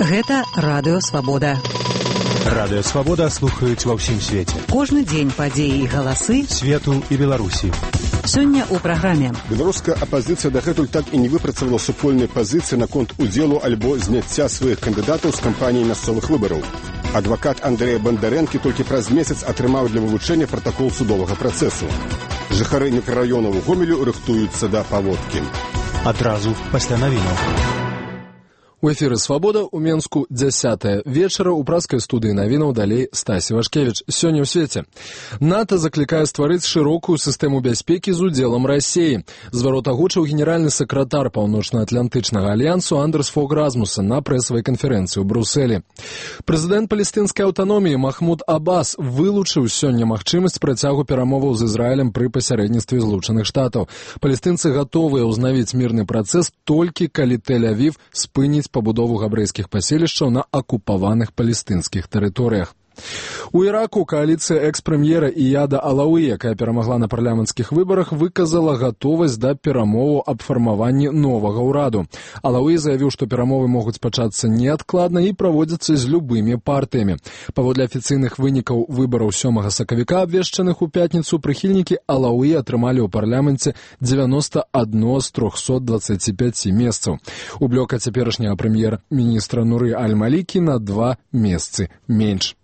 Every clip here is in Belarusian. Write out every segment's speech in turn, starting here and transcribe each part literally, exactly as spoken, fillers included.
Гэта Радыё Свабода. Радыё Свабода слухаюць ва ўсім свеце. Кожны дзень падзеі і галасы свету і Беларусі. Сёння ў праграме. Беларуская апазіцыя дагэтуль так і не выпрацавала супольнай пазіцыі наконт удзелу альбо зняцця сваіх кандыдатаў з кампаніі мясцовых выбараў. Адвакат Андрэя Бандарэнкі толькі праз месяц атрымаў для вывучэння пратакол судовага працэсу. Жыхары мікрараёнаў Гомелю рыхтуюцца да паводкі. Адразу пасля навінаў. У эфіры «Свабода» у Менску дзясятая вечара ў праскай студыі навінаў далей Стасі Вашкевіч. Сёння ў свеце. НАТО заклікае стварыць шырокую сістэму бяспекі з удзелам Расіі. Зварот агучыў генеральны сакратар Паўночна-Атлантычнага альянсу Андерс Фог Расмуссен на прэсавай канферэнцыі ў Брусэлі. Прэзідэнт палестынскай аўтаноміі Махмуд Аббас вылучыў сёння магчымасць працягу перамоваў з Ізраілем пры пасярэдніцтве Злучаных Штатаў. Палестынцы гатовыя ўзнавіць мірны працэс толькі калі Тель-Авів спыніць пабудову габрэйскіх паселішчаў на акупаваных палестынскіх тэрыторыях. У Іраку кааліцыя экс-прэм'ера Ияда Алауі, якая перамагла на парламенцкіх выбарах, выказала гатовасць да перамоваў аб фармаванні новага ўраду. Алауі заявіў, што перамовы могуць пачацца неадкладна і праводзяцца з любымі партыямі. Паводле афіцыйных вынікаў выбараў сёмага сакавіка, абвешчаных у пятніцу, прыхільнікі Алауі атрымалі ў парламенце дзевяноста адно з трохсот дваццаці пяці месцаў. У блока цяперашняга прэм'ер-міністра Нуры Аль-Малікі на два месцы менш.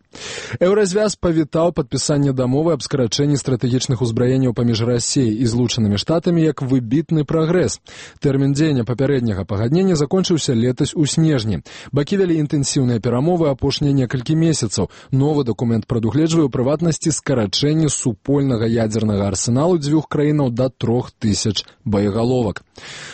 Еўразвяз павітаў падпісанне дамовы аб скарачэнні стратэгічных узбраенняў паміж Расіяй і Злучанымі Штатамі як выбітны прагрэс. Тэрмін дзеяння папярэдняга пагаднення закончыўся летась у снежні. Бакі вялі інтэнсіўныя перамовы апошнія некалькі месяцаў. Новы дакумент прадугледжвае ў прыватнасці скарачэнне супольнага ядзернага арсеналу дзвюх краінаў да трох тысяч боегаловак.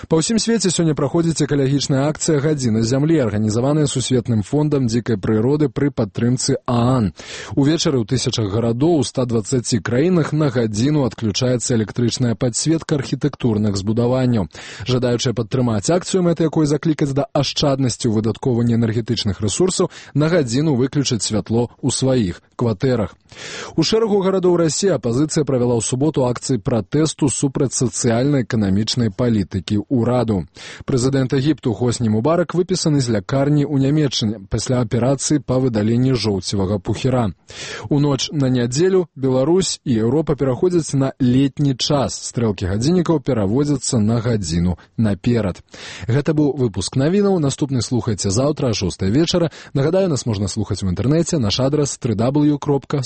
Па ўсім свеце сёння праходзіць экалагічная акцыя «Гадзіна зямлі», арганізаваная Сусветным фондам дзікай прыроды пры падтрымцы ААН. Увечары ў тысячах гарадоў у ста дваццаці краінах на гадзіну адключаецца электрычная падсветка архітэктурных збудаванняў. Жадаючыя падтрымаць акцыю, мэта якой заклікаць да ашчаднасці ў выдаткоўванні энергетычных рэсурсаў, на гадзіну выключаць святло ў сваіх кватэрах. У шэрагу гарадоў Расіі апазіцыя правяла ў суботу акцыі пратэсту супраць сацыяльна-эканамічнай палітыкі ўраду. Прэзідэнт Егіпту Хосні Мубарак выпісаны з лякарні ў Нямецчыне пасля аперацыі па выдаленні жоўцевага пухіра. У ноч на нядзелю Беларусь і Еўропа пераходзяць на летні час. Стрэлкі гадзіннікаў пераводзяцца на гадзіну наперад. Гэта быў выпуск навінаў. Наступны слухайце заўтра а шостай вечара. Нагадаю, нас можна слухаць у інтэрнэце. Наш адрас дабл ю дабл ю дабл ю кропка